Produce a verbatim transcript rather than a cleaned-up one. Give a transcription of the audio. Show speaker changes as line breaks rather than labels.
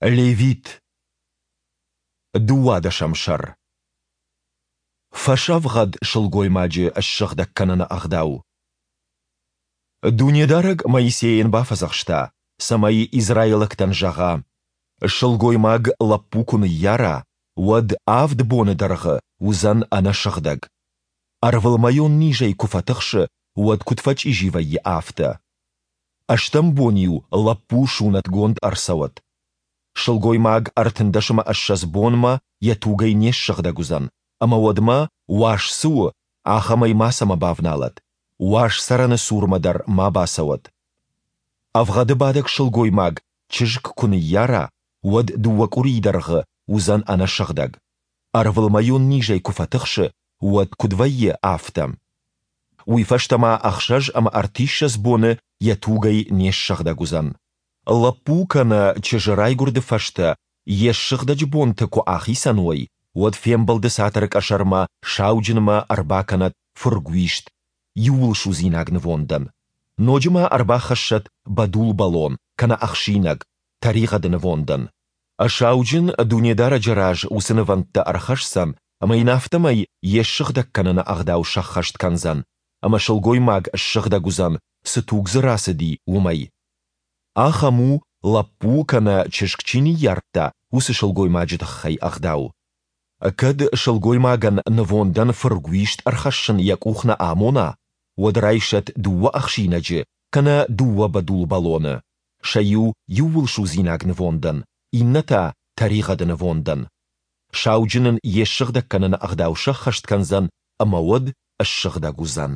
Левит. Дыууадӕсӕм сӕр. Фӕсӕвгъӕд сылгоймаджы ссыгъдӕг кӕныны ӕгъдау. Дунедарӕг Моисейӕн бафӕдзӕхста, цӕмӕй израилӕгтӕн зӕгъа: Сылгоймаг лӕппу куы ныййара, уӕд авд боны дӕргъы уыдзӕн ӕнӕсыгъдӕг. Ӕрвылмӕйон низӕй куы фӕтыхсы, уӕд куыд фӕчъизи вӕййы, афтӕ. Ӕстӕм бон-иу лӕппу сунӕтгонд ӕрцӕуӕд. Сылгоймаг ӕртындӕс ӕмӕ ссӕдз бонмӕ йӕ тугӕй не ссыгъдӕг уыдзӕн, ӕмӕ уӕдмӕ, уаз цы у, ахӕмӕй мацӕмӕ бавналӕд, уаз цӕрӕны цурмӕ дӕр ма бацӕуӕд. Ӕвгъӕды бадӕг сылгоймаг чызг куы ныййара, уӕд дыууӕ къуырийы дӕргъы уыдзӕн ӕнӕсыгъдӕг. Ӕрвылмӕйон низӕй куы фӕтыхсы, уӕд куыд вӕййы, афтӕ. Уый фӕстӕ ма ӕхсӕз ӕмӕ ӕртиссӕдз боны йӕ тугӕй не ссыгъдӕг уыдзӕн. Лӕппу кӕнӕ чызджы райгуырды фӕстӕ йе ссыгъдӕджы бонтӕ куы ахицӕн уой, уӕд фембӕлды цатыры къӕсӕрмӕ сауджынмӕ ӕрбакӕнӕд фыргуист, иууылсудзинаг нывондӕн. Ноджы ма ӕрбахӕссӕд бӕдул бӕлон кӕнӕ ӕхсинӕг, тӕригъӕды нывондӕн. Сауджын Дунедарӕджы раз уыцы нывӕндтӕ ӕрхӕсдзӕн ӕмӕ йын афтӕмӕй йе ссыгъдӕг кӕныны ӕгъдау сӕххӕст кӕндзӕн, ӕмӕ сылгоймаг ссыгъдӕг уыдзӕн, цы туг дзы рацыди, уымӕй. Ахӕм у, лӕппу кӕнӕ чызг чи ныййардта, уыцы сылгоймаджы тыххӕй ӕгъдау. Кӕд сылгоймагӕн нывондӕн фыргуист ӕрхӕссын йӕ къух нӕ амона, уӕд райсӕд дыууӕ ӕхсинӕджы кӕнӕ дыууӕ бӕдул бӕлоны, сӕ иу иууылсудзинаг нывондӕн, иннӕ та тӕригъӕды нывондӕн. Сауджын ын йе ссыгъдӕг кӕныны ӕгъдау сӕххӕст кӕндзӕн ӕмӕ уӕд ссыгъдӕг уыдзӕн.